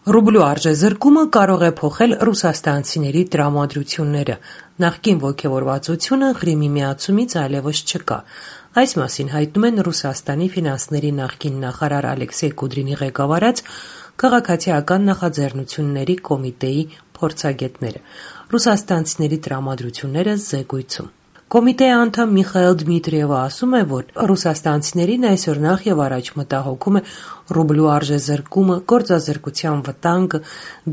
Ռուբլու արժեզրկումը կարող է փոխել ռուսաստանցիների տրամադրությունները։ Նախկին ոգևորվածությունը Ղրիմի միացումից այլևս չկա։ Այս մասին հայտնում են Ռուսաստանի ֆինանսների նախկին նախարար Ալեքսեյ Կուդրինի ղեկավարած քաղաքացիական նախաձեռնությունների կոմիտեի փորձագետները։ Ռուսաստանցիների տրամադրությունները զեկույցում։ Կոմիտեի անդամ Միխայել Դմիտրիևը ասում է, որ ռուսաստանցիներին այսօր նախ եւ առաջ մտահոգում է ռուբլու արժեզրկումը, գործազրկության վտանգը,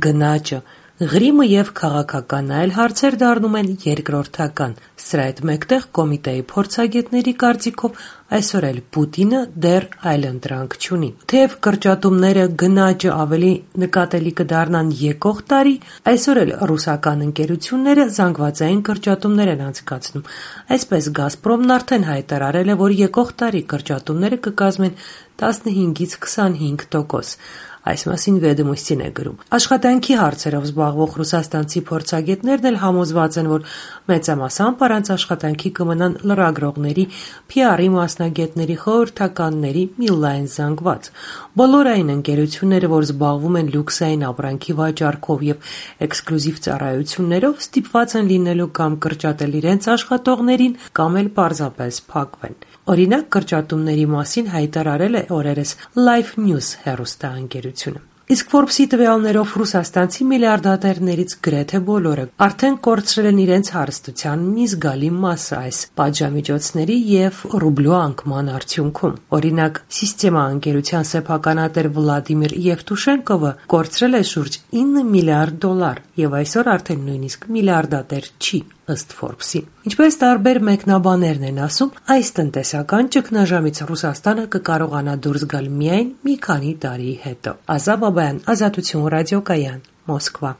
գնաճը, Ղրիմը եւ քաղաքական այլ հարցեր դառնում են երկրորդական։ Սրա հետ մեկտեղ կոմիտեի փորձագետների կարծիքով այսօր էլ Պուտինը դեռ այլընտրանք չունի։ Թեև կրճատումները, գնաճը ավելի նկատելի կդառնան եկող տարի, այսօր էլ ռուսական ընկերությունները զանգվածային կրճատումներ են անցկացնում։ Այսպես Գազպրոմն արդեն հայտարարել է, որ եկող տարի կրճատումները կկազմեն 15-ից 25%։ Այս մասին Վեդոմոստին է գրում։ Աշխատանքի հարցերով զբաղվող ռուսաստանցի փորձագետներն էլ համոզված են, որ մեծամասամբ առանց աշխատանքի կմնան լրագրողների, PR-ի մասնագետների, խորհրդականների մի լայն զանգված։ Բոլոր այն ընկերությունները, որ զբաղվում են լյուքսային ապրանքի վաճառքով եւ էքսկլյուզիվ ծառայություններով, ստիպված են լինելու կամ կրճատել իրենց աշխատողներին, կամ էլ պարզապես փակվեն։ Օրինակ, կրճատումների մասին հայտարարել է օրերս Life News հեռուստաընկերությունը։ Իսկ Forbes-ի տվյալներով ռուսաստանցի միլիարդատերներից գրեթե բոլորը արդեն կորցրել են իրենց հարստության մի զգալի մասը այս պատժամիջոցների եւ ռուբլու անկման արդյունքում։ Օրինակ, Սիստեմա ընկերության սեփականատեր Վլադիմիր Եվտուշենկովը կորցրել է շուրջ $9 միլիարդ եւ այսօր արդեն նույնիսկ միլիարդատեր չի, ըստ Forbes-ի։ Ինչպես տարբեր մեկնաբաններն են ասում, այս տնտեսական ճգնաժամից Ռուսաստանը կկարողանա դուրս գալ միայն մի քանի տարի հետո։ Ազատ Բաբայան, Ազատություն ռադիոկայան, Մոսկվա։